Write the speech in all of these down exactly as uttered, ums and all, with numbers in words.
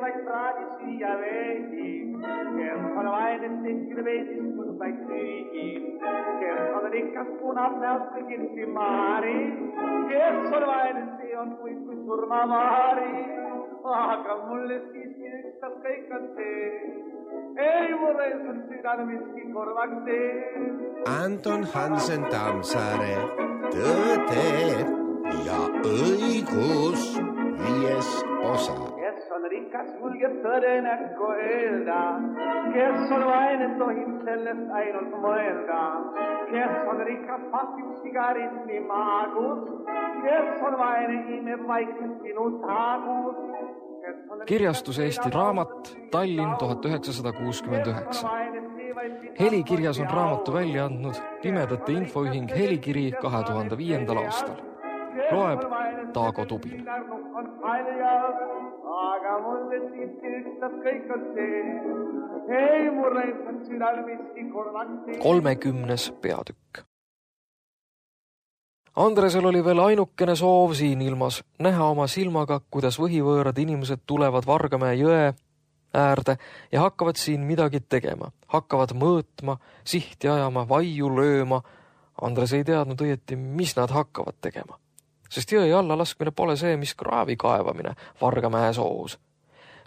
vaid praadi siia veidi, kes on vaid tehtil veidistus vaid süügi, kes on rikas punab näost kõigil simaari, kes on vaid see on kui, kui surmavaari, aga mulle siiski ükstas kõik on see, ei mulle on südame miski korvaks tee. Anton Hansen Tammsaare, Tõde ja õigus, viies osa. Kes on rikas, julgeb tõde näkku öelda, kes on vaene, tohib sellest ainult mõelda, kes on rikas, pasib sigaretti maagus, kes on vaene, imeb vaikselt sinu taagus. Kirjastus Eesti Raamat, Tallinn tuhat üheksasada kuuskümmend üheksa. Helikirjas on raamatu välja andnud Pimedate Infoühing Helikiri kahe tuhande viiendal aastal. Loeb Taago Tubin. Aga mulle siiski ükstas kõik on see, ei mulle on südal miski korvaks tee. kolmekümnes peatükk. Andresel oli veel ainukene soov siin ilmas näha oma silmaga, kuidas võhivõõrad inimesed tulevad Vargamäe jõe äärde ja hakkavad siin midagi tegema. Hakkavad mõõtma, sihti ajama, vaiu lööma. Andres ei teadnud õieti, mis nad hakkavad tegema. Sest jõe alla laskmine pole see, mis kraavi kaevamine Vargamäe soos.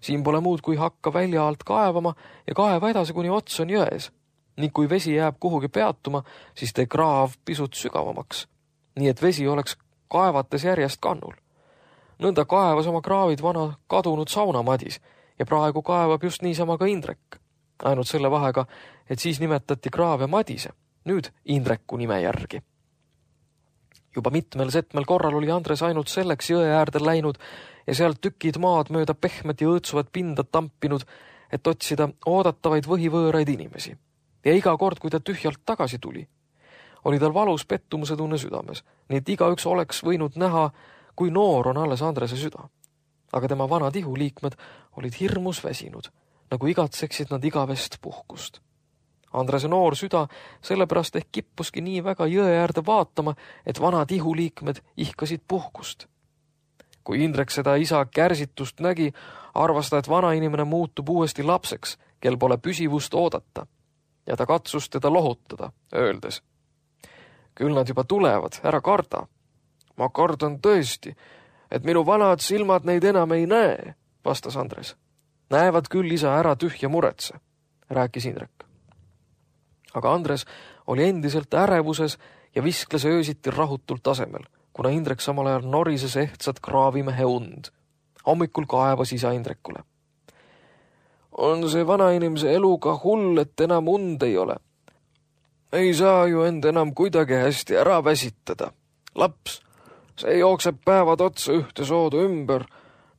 Siin pole muud, kui hakka välja alt kaevama ja kaeva edasi, kuni ots on jões. Ning kui vesi jääb kuhugi peatuma, siis tee kraav pisut sügavamaks. Nii et vesi oleks kaevates järjest kannul. Nõnda kaevas oma kraavid vana kadunud saunamadis ja praegu kaevab just niisama ka Indrek. Ainult selle vahega, et siis nimetati kraave Madise, nüüd Indreku nime järgi. Juba mitmel setmel korral oli Andres ainult selleks jõe äärde läinud ja sealt tükid maad mööda pehmet ja õõtsuvat pinda tampinud, et otsida oodatavaid võhivõõraid inimesi. Ja iga kord, kui ta tühjalt tagasi tuli, oli tal valus pettumuse tunne südames, nii et igaüks oleks võinud näha, kui noor on alles Andrese süda. Aga tema vanad ihuliikmed olid hirmus väsinud, nagu igatseksid nad igavest puhkust. Andrese noor süda sellepärast ehk kippuski nii väga jõe äärde vaatama, et vanad ihuliikmed ihkasid puhkust. Kui Indrek seda isa kärsitust nägi, arvas ta, et vana inimene muutub uuesti lapseks, kel pole püsivust oodata, ja ta katsus teda lohutada, öeldes: küll nad juba tulevad, ära karda. Ma kardan tõesti, et minu vanad silmad neid enam ei näe, vastas Andres. Näevad küll, isa, ära tühja muretse, rääkis Indrek. Aga Andres oli endiselt ärevuses ja viskles öösiti rahutult tasemel, kuna Indrek samal ajal norises ehtsat kraavimehe und. Hommikul kaevas isa Indrekule: on see vana inimese eluga hull, et enam und ei ole. Ei saa ju end enam kuidagi hästi ära väsitada. Laps, see jookseb päevad otsa ühte soodu ümber.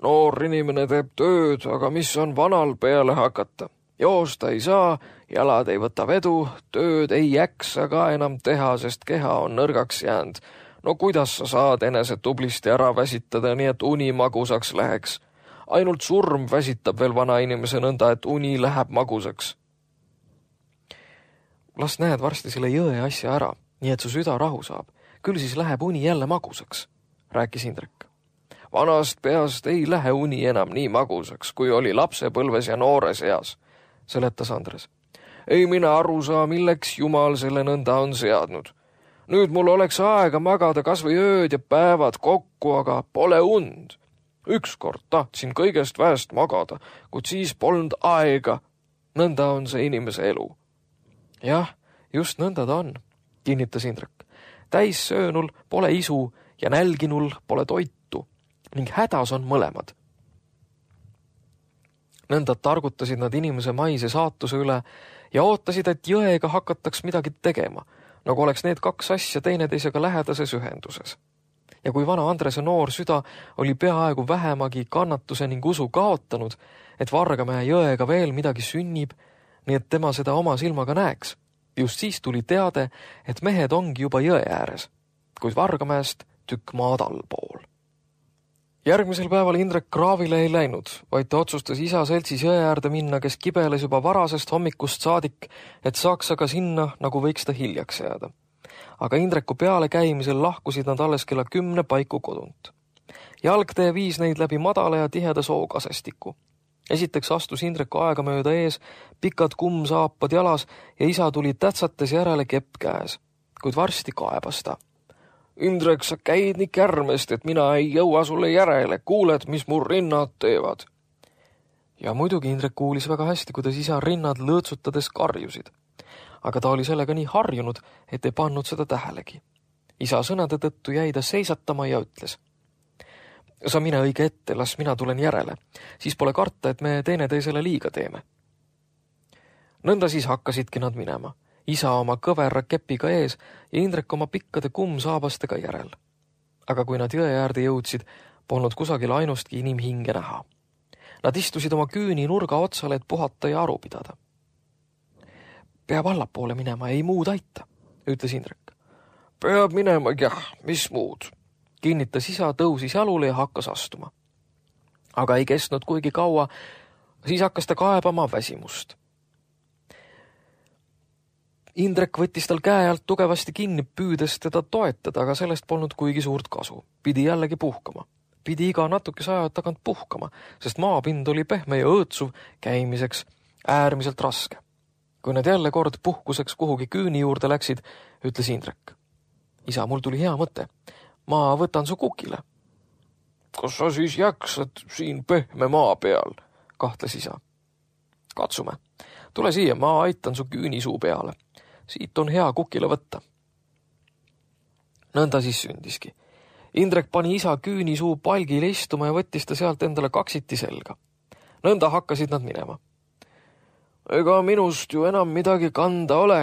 Noor inimene teeb tööd, aga mis on vanal peale hakata? Joosta ei saa, jalad ei võta vedu, tööd ei jaksa ka enam teha, sest keha on nõrgaks jäänud. No kuidas sa saad enese tublisti ära väsitada, nii et uni magusaks läheks? Ainult surm väsitab veel vana inimese nõnda, et uni läheb magusaks. Las näed varsti selle jõe asja ära, nii et su süda rahu saab. Küll siis läheb uni jälle magusaks, rääkis Indrek. Vanast peast ei lähe uni enam nii magusaks, kui oli lapsepõlves ja noores eas, seletas Andres. Ei mina aru saa, milleks Jumal selle nõnda on seadnud. Nüüd mul oleks aega magada kas või ööd ja päevad kokku, aga pole und. Ükskord tahtsin kõigest väest magada, kuid siis polnud aega. Nõnda on see inimese elu. Jah, just nõnda ta on, kinnitas Indrek. Täis söönul pole isu ja nälginul pole toitu ning hädas on mõlemad. Nõnda targutasid nad inimese maise saatuse üle ja ootasid, et jõega hakataks midagi tegema, nagu oleks need kaks asja teineteisega lähedases ühenduses. Ja kui vana Andrese noor süda oli peaaegu vähemagi kannatuse ning usu kaotanud, et Vargamäe jõega veel midagi sünnib, nii et tema seda oma silmaga näeks, just siis tuli teade, et mehed ongi juba jõe ääres, kuid Vargamäest tükk maad allpool. Järgmisel päeval Indrek kraavile ei läinud, vaid ta otsustas isa seltsis jõe äärde minna, kes kibeles juba varasest hommikust saadik, et saaks aga sinna, nagu võiks ta hiljaks jääda. Aga Indreku peale käimisel lahkusid nad alles kella kümne paiku kodunt. Jalgtee viis neid läbi madala ja tiheda sookasestiku. esiteks astus Indrek aegamööda ees, pikad kummsaapad jalas ja isa tuli tätsates järele kepp käes, kuid varsti kaebas ta. Indrek, sa käid nii kärmest, et mina ei jõua sulle järele, kuuled, mis mu rinnad teevad. Ja muidugi Indrek kuulis väga hästi, kuidas isa rinnad lõõtsutades karjusid. Aga ta oli sellega nii harjunud, et ei pannud seda tähelegi. Isa sõnade tõttu jäi ta seisatama ja ütles: sa mine õige ette, las mina tulen järele. Siis pole karta, et me teineteisele liiga teeme. Nõnda siis hakkasidki nad minema. Isa oma kõverra kepiga ees ja Indrek oma pikkade kummsaabastega järel. Aga kui nad jõe äärde jõudsid, polnud kusagil ainustki inimhinge näha. Nad istusid oma küüni nurga otsale, et puhata ja aru pidada. Peab allapoole minema, ei muud aita, ütles Indrek. Peab minema, jah, mis muud, kinnitas isa, tõusis jalule ja hakkas astuma. Aga ei kestnud kuigi kaua, siis hakkas ta kaebama väsimust. Indrek võttis tal käe alt tugevasti kinni, püüdes teda toetada, aga sellest polnud kuigi suurt kasu. Pidi jällegi puhkama. Pidi iga natukese aja tagant puhkama, sest maapind oli pehme ja õõtsuv käimiseks äärmiselt raske. Kui nad jälle kord puhkuseks kuhugi küüni juurde läksid, ütles Indrek. Isa, mul tuli hea mõte. Ma võtan su kukile. Kas sa siis jaksad siin pehme maa peal? Kahtles isa. Katsume. Tule siia, ma aitan su küünisuu peale. Siit on hea kukile võtta. Nõnda siis sündiski. Indrek pani isa küünisuu palgile istuma ja võttis ta sealt endale kaksiti selga. Nõnda hakkasid nad minema. Ega minust ju enam midagi kanda ole,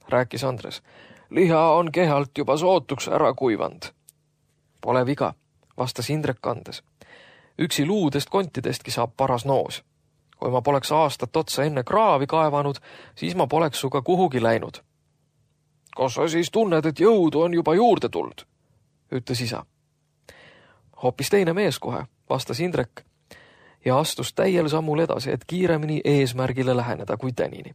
rääkis Andres. Liha on kehalt juba sootuks ära kuivand. Pole viga, vastas Indrek kandes. Üksi luudest kontidestki saab paras noos. Kui ma poleks aastat otsa enne kraavi kaevanud, siis ma poleks suga kuhugi läinud. Kas sa siis tunned, et jõudu on juba juurde tuld? Ütles isa. Hoopis teine mees kohe, vastas Indrek ja astus täiel sammul edasi, et kiiremini eesmärgile läheneda kui tänini.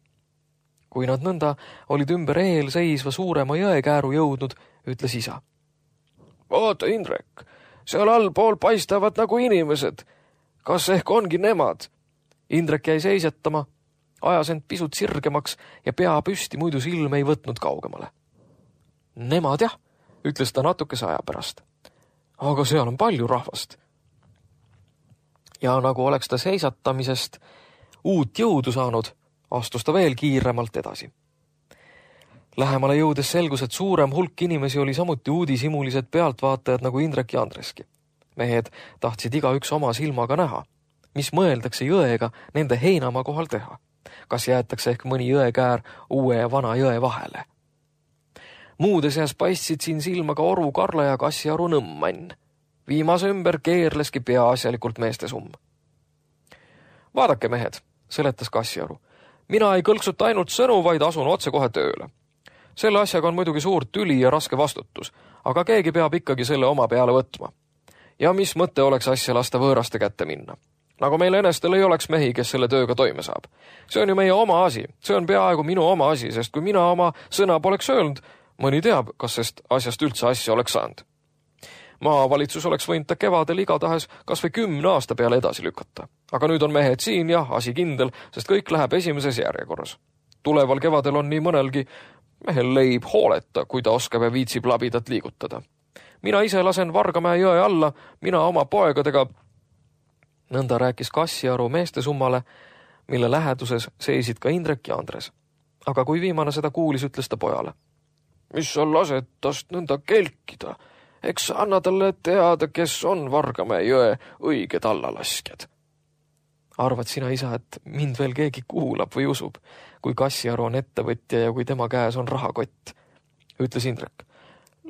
Kui nad nõnda olid ümber eel seisva suurema jõekääru jõudnud, ütles isa. Vaata, Indrek, seal allpool paistavad nagu inimesed. Kas ehk ongi nemad? Indrek jäi seisatama, ajas end pisut sirgemaks ja pea püsti, muidu silm ei võtnud kaugemale. Nemad jah, ütles ta natukese aja pärast. Aga seal on palju rahvast. Ja nagu oleks ta seisatamisest uut jõudu saanud, astus ta veel kiiremalt edasi. Lähemale jõudes selgus, et suurem hulk inimesi oli samuti uudishimulised pealtvaatajad nagu Indrek ja Andreski. Mehed tahtsid igaüks oma silmaga näha, mis mõeldakse jõega nende heinamaa kohal teha. Kas jäetakse ehk mõni jõekäär uue ja vana jõe vahele. Muude seas paistsid siin silmaga Oru Karla ja Kassiaru Nõmmann. Viimase ümber keerleski peaasjalikult meeste summ. Vaadake, mehed, seletas Kassiaru. Mina ei kõlksuta ainult sõnu, vaid asun otse kohe tööle. Selle asjaga on muidugi suur tüli ja raske vastutus, aga keegi peab ikkagi selle oma peale võtma. Ja mis mõte oleks asja lasta võõraste kätte minna? Nagu meil enestel ei oleks mehi, kes selle tööga toime saab. See on ju meie oma asi, see on peaaegu minu oma asi, sest kui mina oma sõna poleks öelnud, mõni teab, kas sest asjast üldse asja oleks saanud. Maavalitsus oleks võinud ta kevadel igatahes kas või kümne aasta peale edasi lükata. Aga nüüd on mehed siin ja asi kindel, sest kõik läheb esimeses järjekorras. Tuleval kevadel on nii mõnelgi mehel leib hooleta, kui ta oskab ja viitsib labidat liigutada. Mina ise lasen Vargamäe jõe alla, mina oma poegadega. Nõnda rääkis Kassiaru meeste summale, mille läheduses seisid ka Indrek ja Andres. Aga kui viimane seda kuulis, ütles ta pojale. Mis sa lased tast nõnda kelkida? Eks anna talle teada, kes on Vargamäe jõe õiged allalaskjad. Arvad sina, isa, et mind veel keegi kuulab või usub, kui Kassiaru on ettevõtja ja kui tema käes on rahakott, ütles Indrek.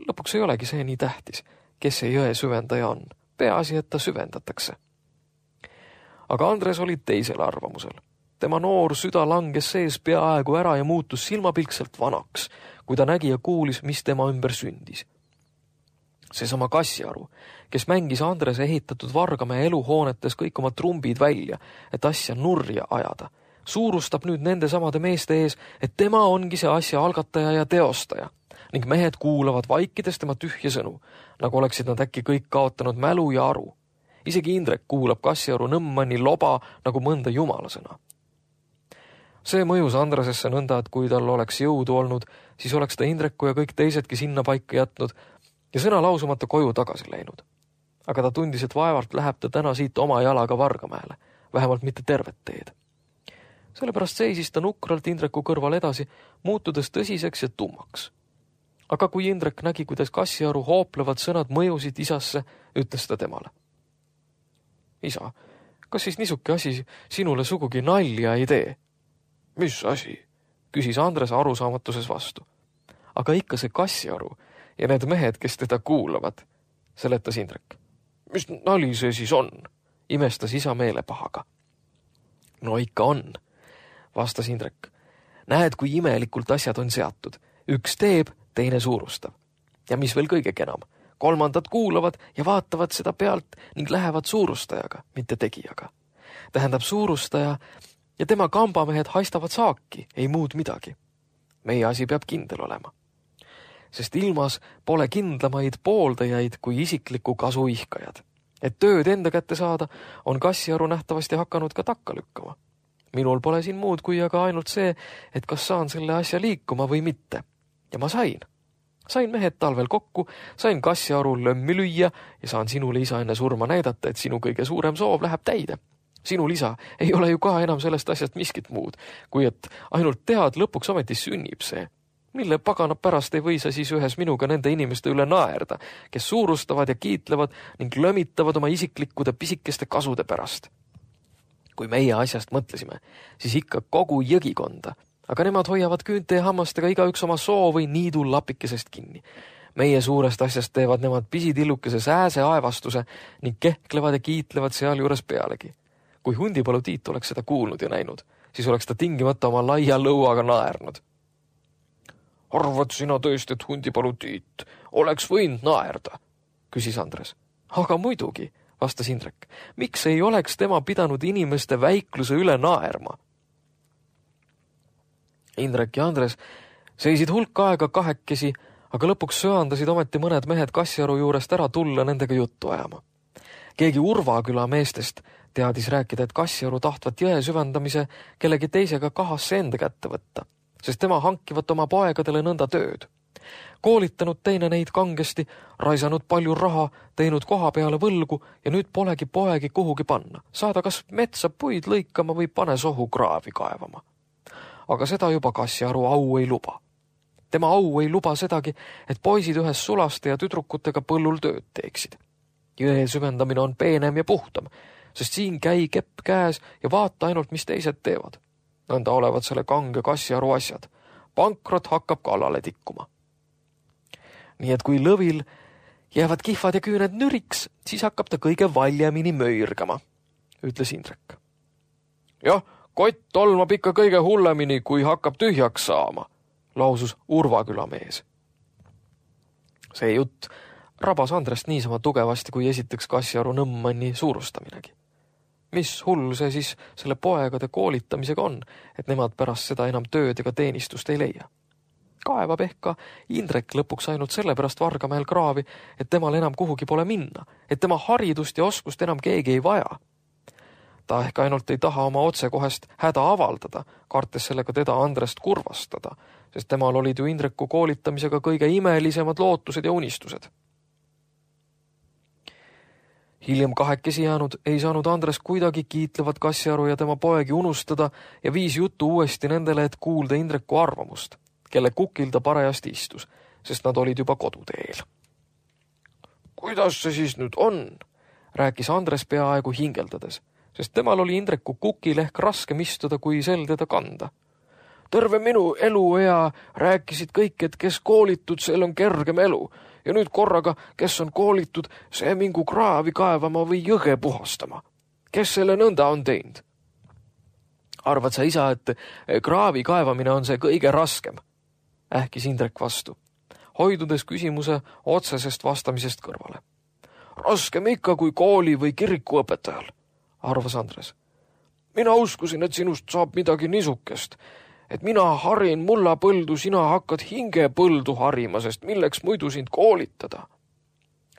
Lõpuks ei olegi see nii tähtis, kes see jõe süvendaja on. Peaasi, et ta süvendatakse. Aga Andres oli teisel arvamusel. Tema noor süda langes sees peaaegu ära ja muutus silmapilkselt vanaks, kui ta nägi ja kuulis, mis tema ümber sündis. Seesama Kassiaru, kes mängis Andrese ehitatud Vargamäe eluhoonetes kõik oma trumbid välja, et asja nurja ajada, suurustab nüüd nende samade meeste ees, et tema ongi see asja algataja ja teostaja, ning mehed kuulavad vaikides tema tühje sõnu, nagu oleksid nad äkki kõik kaotanud mälu ja aru. isegi Indrek kuulab Kassiaru Nõmmanni loba nagu mõnda jumalasõna. See mõjus Andresesse nõnda, et kui tal oleks jõudu olnud, siis oleks ta Indreku ja kõik teisedki sinna paika jätnud ja sõna lausumata koju tagasi läinud. Aga ta tundis, et vaevalt läheb ta täna siit oma jalaga Vargamäele, vähemalt mitte tervet teed. Sellepärast seisis ta nukralt Indreku kõrval edasi, muutudes tõsiseks ja tummaks. Aga kui Indrek nägi, kuidas Kassiaru hooplevad sõnad mõjusid isasse, ütles ta temale. Isa, kas siis nisuke asi sinule sugugi nalja ei tee? Mis asi? Küsis Andres arusaamatuses vastu. Aga ikka see Kassiaru ja need mehed, kes teda kuulavad, seletas Indrek. Mis nali see siis on? Imestas isa meelepahaga. No ikka on, vastas Indrek. Näed, kui imelikult asjad on seatud. Üks teeb, teine suurustab. Ja mis veel kõige enam, kolmandad kuulavad ja vaatavad seda pealt ning lähevad suurustajaga, mitte tegijaga. Tähendab suurustaja ja tema kambamehed haistavad saaki, ei muud midagi. Meie asi peab kindel olema. Sest ilmas pole kindlamaid pooldajaid kui isikliku kasu ihkajad. Et tööd enda kätte saada, on Kassiaru nähtavasti hakanud ka takka lükkama. Minul pole siin muud kui aga ainult see, et kas saan selle asja liikuma või mitte. Ja ma sain. Sain mehed talvel kokku, sain Kassiaru lömmi lüüa ja saan sinule isa enne surma näidata, et sinu kõige suurem soov läheb täide. Sinu lisa ei ole ju ka enam sellest asjast miskit muud, kui et ainult tead, lõpuks ometi sünnib see. Mille pagana pärast ei või sa siis ühes minuga nende inimeste üle naerda, kes suurustavad ja kiitlevad ning lömitavad oma isiklikkude pisikeste kasude pärast. Kui meie asjast mõtlesime, siis ikka kogu jõgikonda, aga nemad hoiavad küünte ja hammastega igaüks oma soo või niidul lapikesest kinni. Meie suurest asjast teevad nemad pisitillukese sääse aevastuse ning kehklevad ja kiitlevad seal juures pealegi. Kui Hundipalu Tiit oleks seda kuulnud ja näinud, siis oleks ta tingimata oma laia lõuaga naernud. Arvad sina tõesti, et Hundipalu Tiit oleks võinud naerda, küsis Andres. Aga muidugi, vastas Indrek, miks ei oleks tema pidanud inimeste väikluse üle naerma? Indrek ja Andres seisid hulk aega kahekesi, aga lõpuks söandasid ometi mõned mehed Kassiaru juurest ära tulla nendega juttu ajama. Keegi Urvaküla meestest teadis rääkida, et Kassiaru tahtvat jõe süvendamise kellegi teisega kahasse enda kätte võtta, sest tema hankivat oma poegadele nõnda tööd. Koolitanud teine neid kangesti, raisanud palju raha, teinud koha peale võlgu ja nüüd polegi poegi kuhugi panna. Saada kas metsa puid lõikama või pane sohu kraavi kaevama. Aga seda juba Kassiaru au ei luba. Tema au ei luba sedagi, et poisid ühes sulaste ja tüdrukutega põllul tööd teeksid. Jõe süvendamine on peenem ja puhtam, sest siin käi kepp käes ja vaata ainult, mis teised teevad. Nõnda olevat selle kange Kassiaru asjad. Pankrot hakkab kallale tikkuma. Nii et kui lõvil jäävad kihvad ja küüned nüriks, siis hakkab ta kõige valjemini möirgama, ütles Indrek. Jah, kott tolmab ikka kõige hullemini, kui hakkab tühjaks saama, lausus Urvaküla mees. See jutt rabas Andrest niisama tugevasti, kui esiteks Kassiaru Nõmmanni suurustaminegi. Mis hull see siis selle poegade koolitamisega on, et nemad pärast seda enam tööd ega teenistust ei leia? Kaevab ehk ka Indrek lõpuks ainult sellepärast Vargamäel kraavi, et temal enam kuhugi pole minna, et tema haridust ja oskust enam keegi ei vaja. Ta ehk ainult ei taha oma otsekohest häda avaldada, kartes sellega teda Andrest kurvastada, sest temal olid ju Indreku koolitamisega kõige imelisemad lootused ja unistused. Hiljem kahekesi jäänud ei saanud Andres kuidagi kiitlevat Kassiaru ja tema poegi unustada ja viis juttu uuesti nendele, et kuulda Indreku arvamust, kelle kukil ta parajasti istus, sest nad olid juba koduteel. Kuidas see siis nüüd on? Rääkis Andres peaaegu hingeldades, sest temal oli Indreku kukil ehk raskem istuda, kui sel teda kanda. Terve minu eluea rääkisid kõik, et kes koolitud, sel on kergem elu, ja nüüd korraga, kes on koolitud, see mingu kraavi kaevama või jõge puhastama. Kes selle nõnda on teinud? Arvad sa, isa, et kraavi kaevamine on see kõige raskem? Ähkis Indrek vastu, hoidudes küsimuse otsesest vastamisest kõrvale. Raskem ikka kui kooli või kirikuõpetajal, arvas Andres. Mina uskusin, et sinust saab midagi nisukest, et mina harin mulla põldu, sina hakkad hinge põldu harima, sest milleks muidu sind koolitada.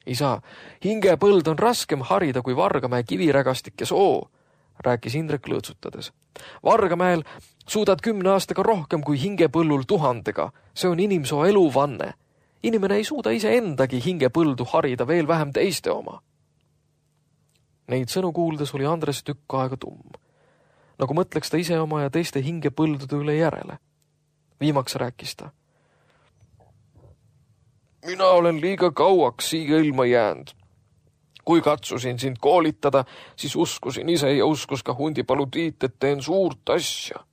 Isa, hingepõld on raskem harida kui Vargamäe kivirägastik ja soo, rääkis Indrek lõõtsutades. Vargamäel suudad kümne aastaga rohkem kui hingepõllul tuhandega. See on inimsoo eluvanne. Inimene ei suuda ise endagi hingepõldu harida, veel vähem teiste oma. Neid sõnu kuuldes oli Andres tükk aega tumm. Nagu mõtleks ta ise oma ja teiste hingepõldude üle järele. Viimaks rääkis ta. Mina olen liiga kauaks siia ilma jäänud. Kui katsusin sind koolitada, siis uskusin ise ja uskus ka Hundipalu Tiit, et teen suurt asja.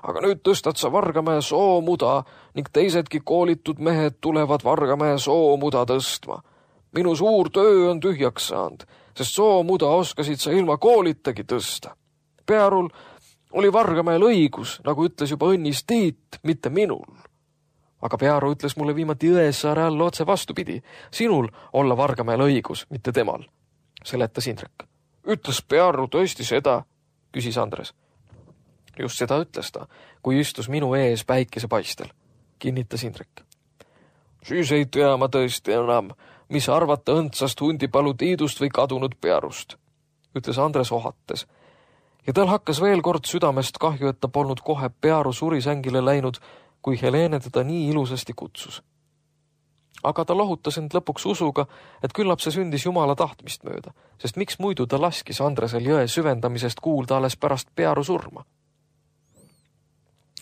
Aga nüüd tõstad sa Vargamäe soomuda ning teisedki koolitud mehed tulevad Vargamäe soomuda tõstma. Minu suur töö on tühjaks saanud, sest soomuda oskasid sa ilma koolitagi tõsta. Pearul oli Vargamäel õigus, nagu ütles juba õnnis Tiit, mitte minul. Aga Pearu ütles mulle viimati Jõesaare all otse vastupidi. Sinul olla Vargamäel õigus, mitte temal, seletas Indrek. Ütles Pearu tõesti seda, küsis Andres. Just seda ütles ta, kui istus minu ees päikesepaistel, kinnitas Indrek. Siis ei tea ma tõesti enam, mis arvata õndsast Hundipalu Tiidust või kadunud Pearust, ütles Andres ohates. Ja tal hakkas veel kord südamest kahju, et ta polnud kohe Pearu surisängile läinud, kui Helene teda nii ilusasti kutsus. Aga ta lohutas end lõpuks usuga, et küllap see sündis Jumala tahtmist mööda, sest miks muidu ta laskis Andresel jõe süvendamisest kuulda alles pärast Pearu surma.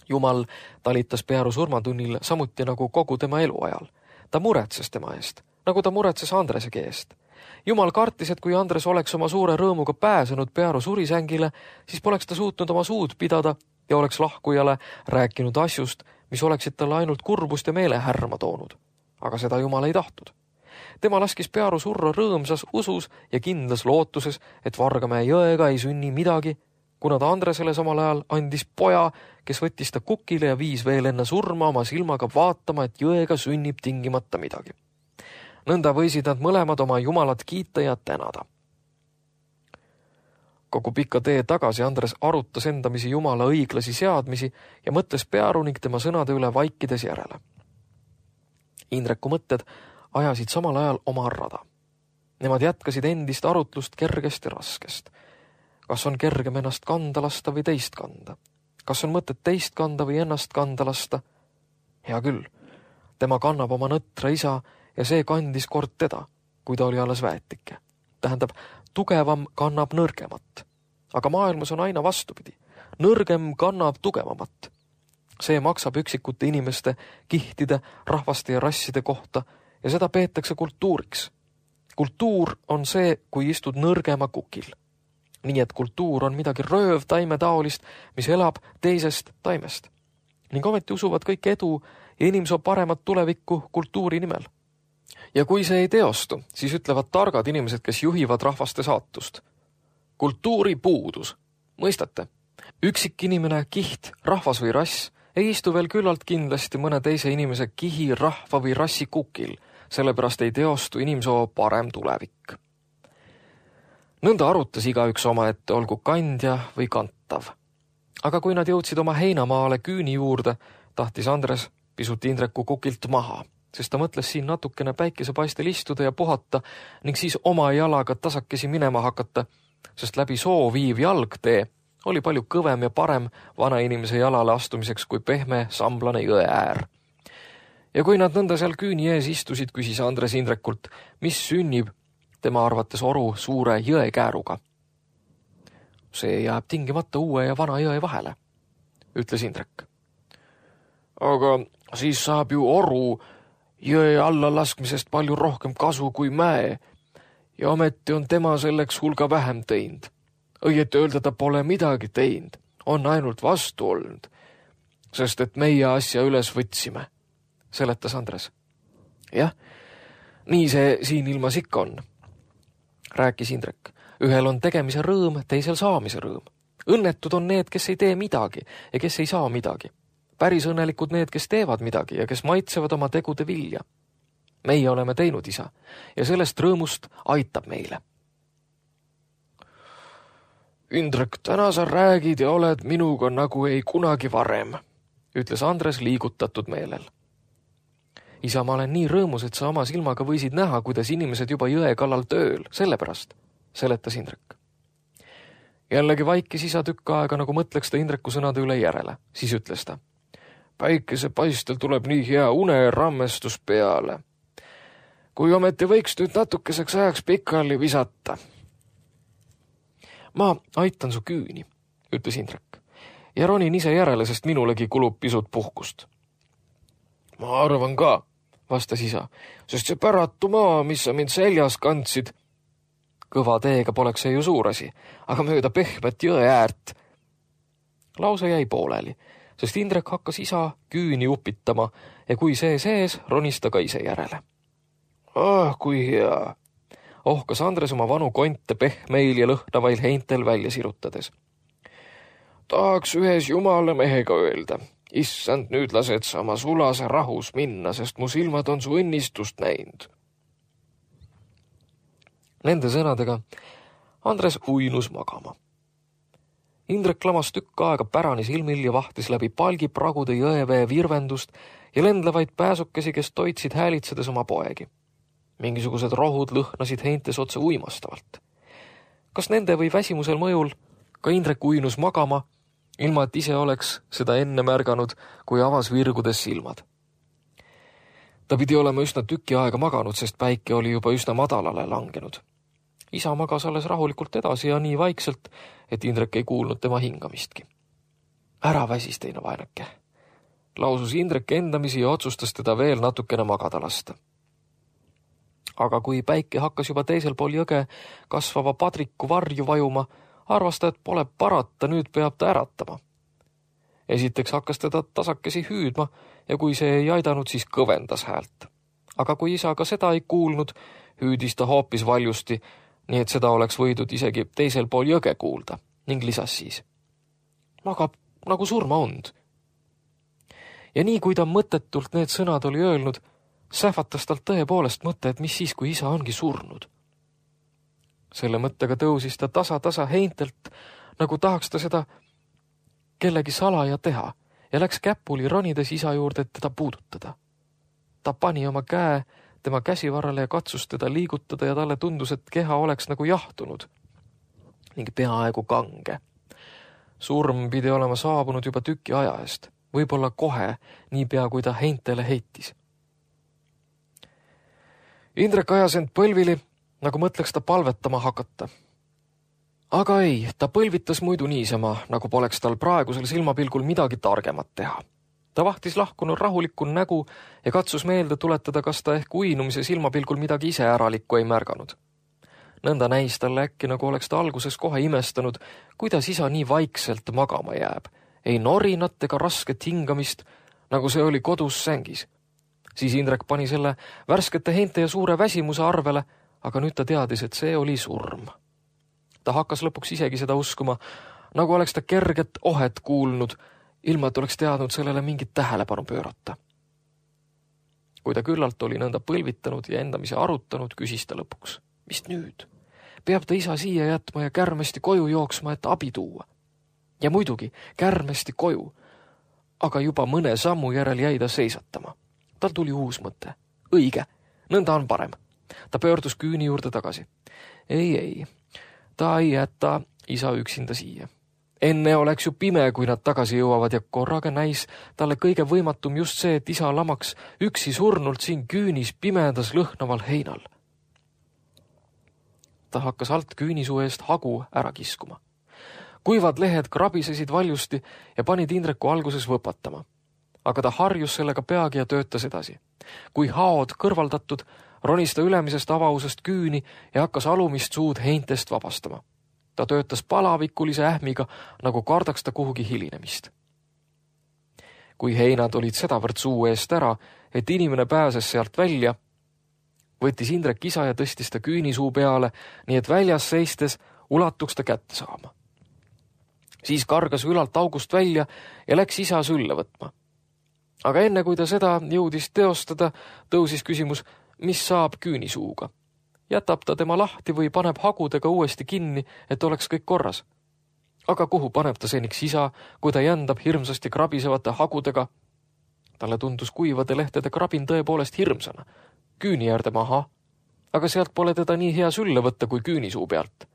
Jumal talitas Pearu surmatunnil samuti nagu kogu tema eluajal. Ta muretses tema eest, nagu ta muretses Andresegi eest. Jumal kartis, et kui Andres oleks oma suure rõõmuga pääsenud Pearu surisängile, siis poleks ta suutnud oma suud pidada ja oleks lahkujale rääkinud asjust, mis oleksid talle ainult kurbust ja meelehärma toonud. Aga seda Jumal ei tahtnud. Tema laskis Pearu surra rõõmsas usus ja kindlas lootuses, et Vargamäe jõega ei sünni midagi, kuna ta Andresele samal ajal andis poja, kes võttis ta kukile ja viis veel enne surma oma silmaga vaatama, et jõega sünnib tingimata midagi. Nõnda võisid nad mõlemad oma Jumalat kiita ja tänada. Kogu pika tee tagasi Andres arutas endamisi Jumala õiglasi seadmisi ja mõtles Pearu ning tema sõnade üle vaikides järele. Indreku mõtted ajasid samal ajal oma rada. Nemad jätkasid endist arutlust kergest ja raskest. Kas on kergem ennast kanda lasta või teist kanda? Kas on mõtet teist kanda või ennast kanda lasta? Hea küll, tema kannab oma nõtra isa ja see kandis kord teda, kui ta oli alles väetike. Tähendab, tugevam kannab nõrgemat. Aga maailmas on aina vastupidi. Nõrgem kannab tugevamat. See maksab üksikute inimeste, kihtide, rahvaste ja rasside kohta ja seda peetakse kultuuriks. Kultuur on see, kui istud nõrgema kukil. Nii et kultuur on midagi rööv taimetaolist, mis elab teisest taimest. Ning ometi usuvad kõik edu ja inimsoo paremat tulevikku kultuuri nimel. Ja kui see ei teostu, siis ütlevad targad inimesed, kes juhivad rahvaste saatust. Kultuuri puudus. Mõistate? Üksik inimene, kiht, rahvas või rass ei istu veel küllalt kindlasti mõne teise inimese kihi, rahva või rassi kukil, sellepärast ei teostu inimsoo parem tulevik. Nõnda arutas igaüks oma ette, olgu kandja või kantav. Aga kui nad jõudsid oma heinamaale küüni juurde, tahtis Andres pisut Indreku kukilt maha, sest ta mõtles siin natukene päikesepaistel istuda ja puhata ning siis oma jalaga tasakesi minema hakata, sest läbi soo viiv jalgtee oli palju kõvem ja parem vana inimese jalale astumiseks kui pehme samblane jõe äär. Ja kui nad nõnda seal küüni ees istusid, küsis Andres Indrekult, mis sünnib tema arvates oru suure jõekääruga. See jääb tingimata uue ja vana jõe vahele, ütles Indrek. Aga siis saab ju oru jõe alla laskmisest palju rohkem kasu kui mäe ja ometi on tema selleks hulga vähem teinud. Õieti öelda ta pole midagi teinud, on ainult vastu olnud, sest et meie asja üles võtsime, seletas Andres. Jah, nii see siin ilmas ikka on, rääkis Indrek. Ühel on tegemise rõõm, teisel saamise rõõm. Õnnetud on need, kes ei tee midagi ja kes ei saa midagi. Päris õnnelikud need, kes teevad midagi ja kes maitsevad oma tegude vilja. Meie oleme teinud isa ja sellest rõõmust aitab meile. Indrek, täna sa räägid ja oled minuga nagu ei kunagi varem, ütles Andres liigutatud meelel. Isa, ma olen nii rõõmus, et sa oma silmaga võisid näha, kuidas inimesed juba jõe kallal tööl, sellepärast, seletas Indrek. Jällegi vaikis isa tükk aega, nagu mõtleks ta Indreku sõnade üle järele. Siis ütles ta. Päikese paistel tuleb nii hea une rammestus peale. Kui ometi võiks nüüd natukeseks ajaks pikali visata. Ma aitan su küüni, ütles Indrek. Ja ronin ise järele, sest minulegi kulub pisut puhkust. Ma arvan ka, vastas isa, sest see päratu maa, mis sa mind seljas kandsid. Kõva teega poleks see ju suur asi, aga mööda pehmet jõe äärt. Lause jäi pooleli, sest Indrek hakkas isa küüni upitama ja kui see sees, ronis ta ka ise järele. Ah, kui hea, ohkas Andres oma vanu konte pehmeil ja lõhnavail heintel välja sirutades. Tahaks ühes jumala mehega öelda, issand, nüüd lased sa oma sulase rahus minna, sest mu silmad on su õnnistust näinud. Nende sõnadega Andres uinus magama. Indrek lamas tükk aega pärani silmil ja vahtis läbi palgipragude jõevee virvendust ja lendlevaid pääsukesi, kes toitsid häälitsedes oma poegi. Mingisugused rohud lõhnasid heintes otse uimastavalt. Kas nende või väsimusel mõjul ka Indrek uinus magama, ilma et ise oleks seda enne märganud, kui avas virgudes silmad. Ta pidi olema üsna tüki aega maganud, sest päike oli juba üsna madalale langenud. Isa magas alles rahulikult edasi ja nii vaikselt, et Indrek ei kuulnud tema hingamistki. Ära väsis teine vaenake. Lausus Indrek endamisi ja otsustas teda veel natukene magada lasta. Aga kui päike hakkas juba teisel pool jõge kasvava padriku varju vajuma, arvas ta, et pole parata, nüüd peab ta äratama. Esiteks hakkas teda tasakesi hüüdma ja kui see ei aidanud, siis kõvendas häält. Aga kui isa ka seda ei kuulnud, hüüdis ta hoopis valjusti, nii et seda oleks võidud isegi teisel pool jõge kuulda ning lisas siis. Magab nagu surmaund. Ja nii kui ta mõttetult need sõnad oli öelnud, sähvatas talt tõepoolest mõte, et mis siis, kui isa ongi surnud. Selle mõttega tõusis ta tasa-tasa heintelt, nagu tahaks ta seda kellegi salaja teha ja läks käpuli ronides isa juurde, et teda puudutada. Ta pani oma käe tema käsivarrale ja katsus teda liigutada ja talle tundus, et keha oleks nagu jahtunud ning peaaegu kange. Surm pidi olema saabunud juba tüki aja eest, võib-olla kohe, niipea kui ta heintele heitis. Indrek ajas end põlvili, nagu mõtleks ta palvetama hakata. Aga ei, ta põlvitas muidu niisama, nagu poleks tal praegusel silmapilgul midagi targemat teha. Ta vahtis lahkunud rahulikku nägu ja katsus meelde tuletada, kas ta ehk uinumise silmapilgul midagi ise äralikku ei märganud. Nõnda näis talle äkki, nagu oleks ta alguses kohe imestanud, kuidas isa nii vaikselt magama jääb. Ei norinat ega rasket hingamist, nagu see oli kodus sängis. Siis Indrek pani selle värskete heinte ja suure väsimuse arvele, aga nüüd ta teadis, et see oli surm. Ta hakkas lõpuks isegi seda uskuma, nagu oleks ta kerget ohet kuulnud, ilma et oleks teadnud sellele mingit tähelepanu pöörata. Kui ta küllalt oli nõnda põlvitanud ja endamise arutanud, küsis ta lõpuks. Mis nüüd? Peab ta isa siia jätma ja kärmesti koju jooksma, et abi tuua. Ja muidugi, kärmesti koju. Aga juba mõne sammu järel jäi ta seisatama. Tal tuli uus mõte. Õige, nõnda on parem. Ta pöördus küüni juurde tagasi. Ei, ei, ta ei jäta isa üksinda siia. Enne oleks ju pime, kui nad tagasi jõuavad ja korraga näis talle kõige võimatum just see, et isa lamaks üksi surnult siin küünis pimedas lõhnaval heinal. Ta hakkas alt küünisuu eest hagu ära kiskuma. Kuivad lehed krabisesid valjusti ja panid Indreku alguses võpatama. Aga ta harjus sellega peagi ja töötas edasi. Kui haod kõrvaldatud, ronis ta ülemisest avausest küüni ja hakkas alumist suud heintest vabastama. Ta töötas palavikulise ähmiga, nagu kardaks ta kuhugi hilinemist. Kui heinad olid sedavõrd suu eest ära, et inimene pääses sealt välja, võttis Indrek isa ja tõstis ta küünisuu peale, nii et väljas seistes ulatuks ta kätte saama. Siis kargas ülalt august välja ja läks isa sülle võtma. Aga enne kui ta seda jõudis teostada, tõusis küsimus, mis saab küünisuuga. Jätab ta tema lahti või paneb hagudega uuesti kinni, et oleks kõik korras. Aga kuhu paneb ta seniks isa, kui ta jändab hirmsasti krabisevate hagudega? Talle tundus kuivade lehtede krabin tõepoolest hirmsana. Küüni äärde maha, aga sealt pole teda nii hea sülle võtta kui küünisuu pealt.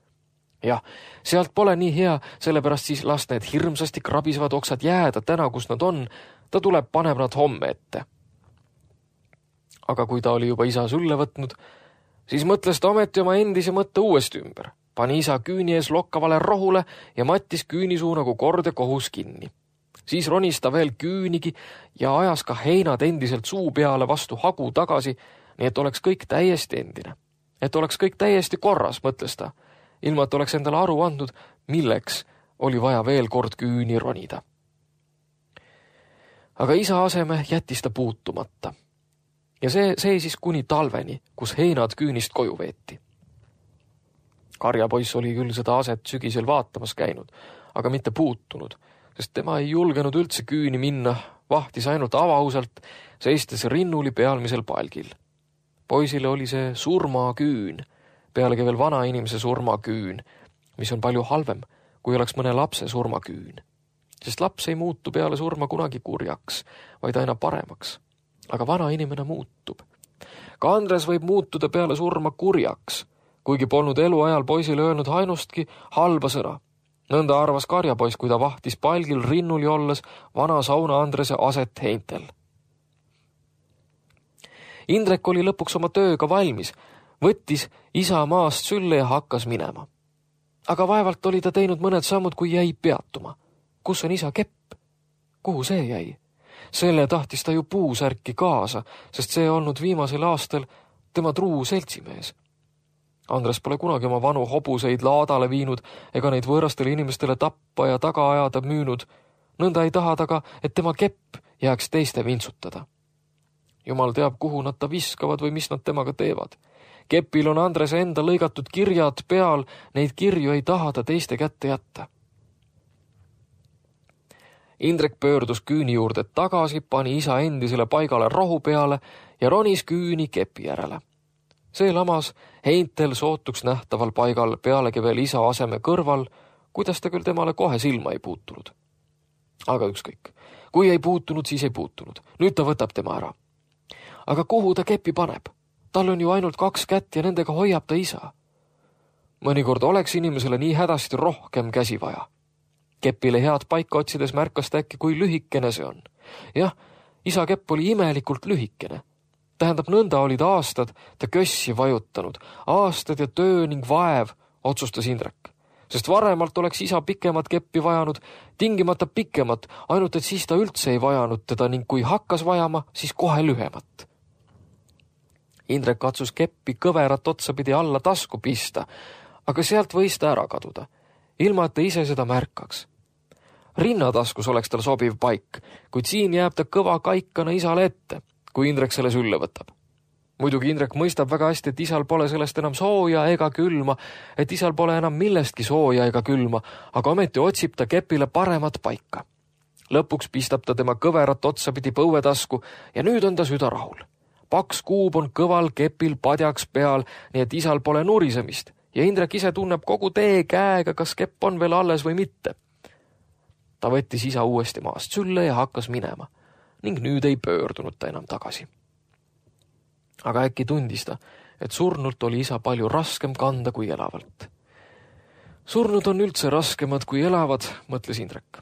Jah, sealt pole nii hea, sellepärast siis las need hirmsasti krabisevad oksad jääda täna, kus nad on, ta tuleb paneb nad homme ette. Aga kui ta oli juba isa sülle võtnud, siis mõtles ta ometi oma endise mõtte uuesti ümber. Pani isa küüni ees lokkavale rohule ja mattis küünisuu nagu kord ja kohus kinni. Siis ronis ta veel küünigi ja ajas ka heinad endiselt suu peale vastu hagu tagasi, nii et oleks kõik täiesti endine. Et oleks kõik täiesti korras, mõtles ta, ilma et oleks endale aru andnud, milleks oli vaja veel kord küüni ronida. Aga isa aseme jättis ta puutumata. Ja see seisis kuni talveni, kus heinad küünist koju veeti. Karjapoiss oli küll seda aset sügisel vaatamas käinud, aga mitte puutunud, sest tema ei julgenud üldse küüni minna, vahtis ainult avauselt, seistes rinnuli pealmisel palgil. Poisile oli see surmaküün, pealegi veel vana inimese surmaküün, mis on palju halvem, kui oleks mõne lapse surmaküün. Sest laps ei muutu peale surma kunagi kurjaks, vaid aina paremaks. Aga vana inimene muutub. Ka Andres võib muutuda peale surma kurjaks, kuigi polnud eluajal poisile öelnud ainustki halba sõna. Nõnda arvas karjapoiss, kui ta vahtis palgil rinnuli olles vana sauna Andrese aset heintel. Indrek oli lõpuks oma tööga valmis, võttis isa maast sülle ja hakkas minema. Aga vaevalt oli ta teinud mõned sammud, kui jäi peatuma. Kus on isa kepp? Kuhu see jäi? Selle tahtis ta ju puusärki kaasa, sest see olnud viimasel aastal tema truu seltsimees. Andres pole kunagi oma vanu hobuseid laadale viinud ega neid võõrastele inimestele tappa ja taga ajada müünud. Nõnda ei taha taga, et tema kepp jääks teiste vintsutada. Jumal teab, kuhu nad ta viskavad või mis nad temaga teevad. Kepil on Andrese enda lõigatud kirjad peal, neid kirju ei taha ta teiste kätte jätta. Indrek pöördus küüni juurde tagasi, pani isa endisele paigale rohu peale ja ronis küüni kepi järele. See lamas heintel sootuks nähtaval paigal pealegi veel isa aseme kõrval, kuidas ta küll temale kohe silma ei puutunud. Aga ükskõik. Kui ei puutunud, siis ei puutunud. Nüüd ta võtab tema ära. Aga kuhu ta kepi paneb? Tal on ju ainult kaks kätt ja nendega hoiab ta isa. Mõnikord oleks inimesele nii hädasti rohkem käsi vaja. Kepile head paika otsides märkas ta äkki, kui lühikene see on. Jah, isa kepp oli imelikult lühikene. Tähendab, nõnda olid aastad ta kössi vajutanud. Aastad ja töö ning vaev, otsustas Indrek. Sest varemalt oleks isa pikemat keppi vajanud, tingimata pikemat, ainult et siis ta üldse ei vajanud teda ning kui hakkas vajama, siis kohe lühemat. Indrek katsus keppi kõverat otsapidi alla tasku pista, aga sealt võis ta ära kaduda, ilma et ta ise seda märkaks. Rinnataskus oleks tal sobiv paik, kuid siin jääb ta kõva kaikana isale ette, kui Indrek selle sülle võtab. Muidugi Indrek mõistab väga hästi, et isal pole sellest enam sooja ega külma, et isal pole enam millestki sooja ega külma, aga ometi otsib ta kepile paremat paika. Lõpuks pistab ta tema kõverat otsapidi põuetasku ja nüüd on ta süda rahul. Paks kuub on kõval kepil padjaks peal, nii et isal pole nurisemist ja Indrek ise tunneb kogu tee käega, kas kepp on veel alles või mitte. Ta võttis isa uuesti maast sülle ja hakkas minema ning nüüd ei pöördunud ta enam tagasi. Aga äkki tundis ta, et surnult oli isa palju raskem kanda kui elavalt. Surnud on üldse raskemad kui elavad, mõtles Indrek.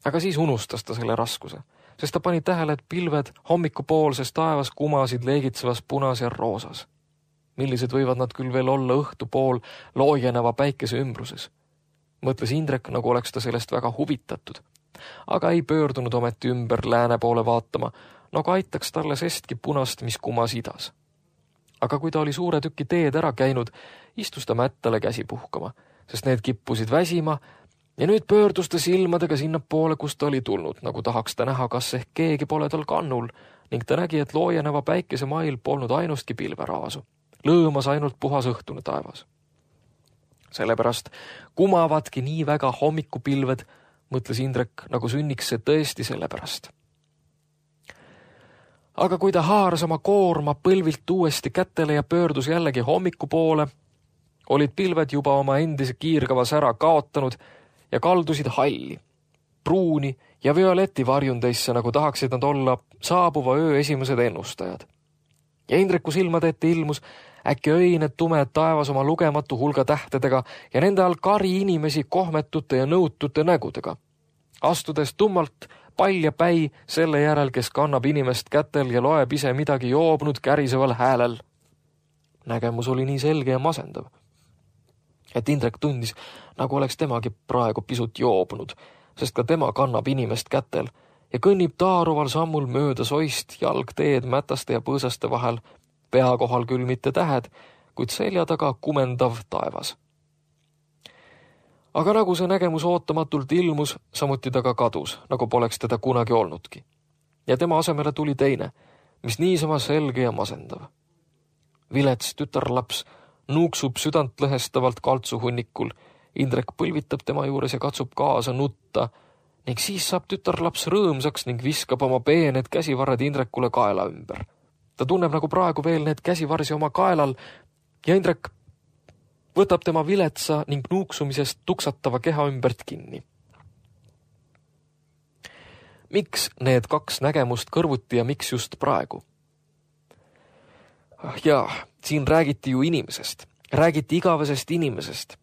Aga siis unustas ta selle raskuse, sest ta pani tähele, et pilved hommikupoolses taevas kumasid leegitsevas punas ja roosas. Millised võivad nad küll veel olla õhtu pool loojeneva päikese ümbruses. Mõtles Indrek, nagu oleks ta sellest väga huvitatud, aga ei pöördunud ometi ümber lääne poole vaatama, nagu aitaks talle sestki punast, mis kumas idas. Aga kui ta oli suure tüki teed ära käinud, istus ta mättale käsi puhkama, sest need kippusid väsima ja nüüd pöördus ta silmadega sinna poole, kus ta oli tulnud, nagu tahaks ta näha, kas ehk keegi pole tal kannul ning ta nägi, et loojeneva päikese mail polnud ainustki pilveraasu. Lõõmas ainult puhas õhtune taevas. Sellepärast kumavadki nii väga hommikupilved, mõtles Indrek, nagu sünniks see tõesti sellepärast. Aga kui ta haaras oma koorma põlvilt uuesti kätele ja pöördus jällegi hommiku poole, olid pilved juba oma endise kiirgava sära kaotanud ja kaldusid halli. pruuni ja violeti varjundeisse, nagu tahaksid nad olla saabuva öö esimesed ennustajad. Ja Indreku silmade ette ilmus äkki öine tumed taevas oma lugematu hulga tähtedega ja nende all kari inimesi kohmetute ja nõutute nägudega. Astudes tummalt pall ja päi selle järel, kes kannab inimest kätel ja loeb ise midagi joobnud käriseval häälel. Nägemus oli nii selge ja masendav, et Indrek tundis, nagu oleks temagi praegu pisut joobnud, sest ka tema kannab inimest kätel ja kõnnib taaruval sammul mööda soist jalgteed mätaste ja põõsaste vahel, pea kohal küll mitte tähed, kuid selja taga kumendav taevas. Aga nagu see nägemus ootamatult ilmus, samuti ta ka kadus, nagu poleks teda kunagi olnudki. Ja tema asemele tuli teine, mis niisama selge ja masendav. Vilets tütarlaps nuuksub südant lõhestavalt kaltsuhunnikul, Indrek põlvitab tema juures ja katsub kaasa nutta, ning siis saab tütarlaps rõõmsaks ning viskab oma peened käsivarred Indrekule kaela ümber. Ta tunneb nagu praegu veel need käsivarsi oma kaelal ja Indrek võtab tema viletsa ning nuuksumisest tuksatava keha ümbert kinni. Miks need kaks nägemust kõrvuti ja miks just praegu? Jaa, siin räägiti ju inimesest, räägiti igavesest inimesest,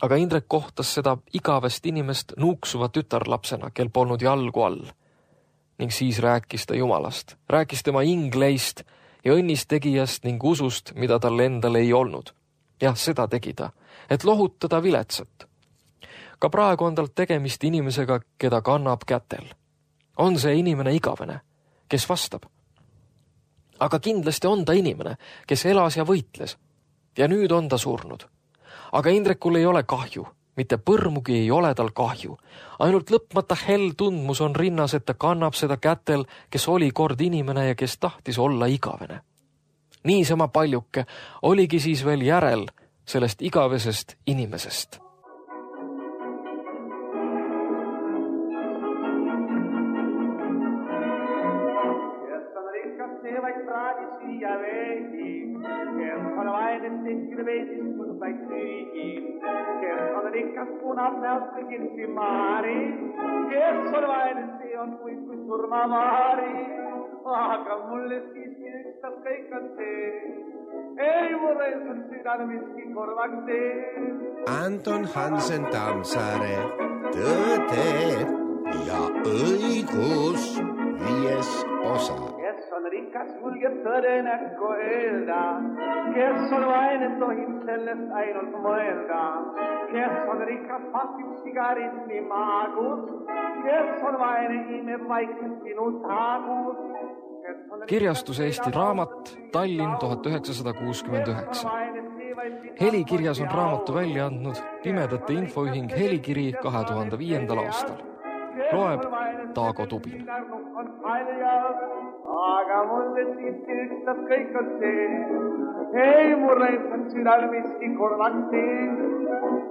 aga Indrek kohtas seda igavest inimest nuuksuva tütarlapsena, kel polnud jalgu all. Ning siis rääkis ta Jumalast, rääkis tema ingleist ja õnnistegijast ning usust, mida tal endal ei olnud. Jah, seda tegi ta, et lohutada viletsat. Ka praegu on tal tegemist inimesega, keda kannab kätel. On see inimene igavene, kes vastab? Aga kindlasti on ta inimene, kes elas ja võitles. Ja nüüd on ta surnud. Aga Indrekul ei ole kahju, mitte põrmugi ei ole tal kahju. Ainult lõpmata hell tundmus on rinnas, et ta kannab seda kätel, kes oli kord inimene ja kes tahtis olla igavene. Niisama paljuke oligi siis veel järel sellest igavesest inimesest. Kes on rikas punab näost kõigilsi maari, kes on vaene, see on kui, kui surmamaari. Aga mulle siiski ükstas kõik on see, ei mure sul südane miski korvaks see. Anton Hansen Tammsaare, Tõde ja õigus, viies osa. Kes on rikas, julgeb tõde näkku öelda, kes on vaene, tohib sellest ainult mõelda. Kes on rikas, pakib sigaritni maagus, kes on vaene, imeb vaikselt sinu taagus. Kirjastus Eesti Raamat, Tallinn tuhat üheksasada kuuskümmend üheksa. Helikirjas on raamatu välja andnud Pimedate infoühing Helikiri kahe tuhande viiendal aastal. Loeb Taago Tubin. Aga mulle siiski ükstas kõik on see, ei murre, et on südal miski korvaks see.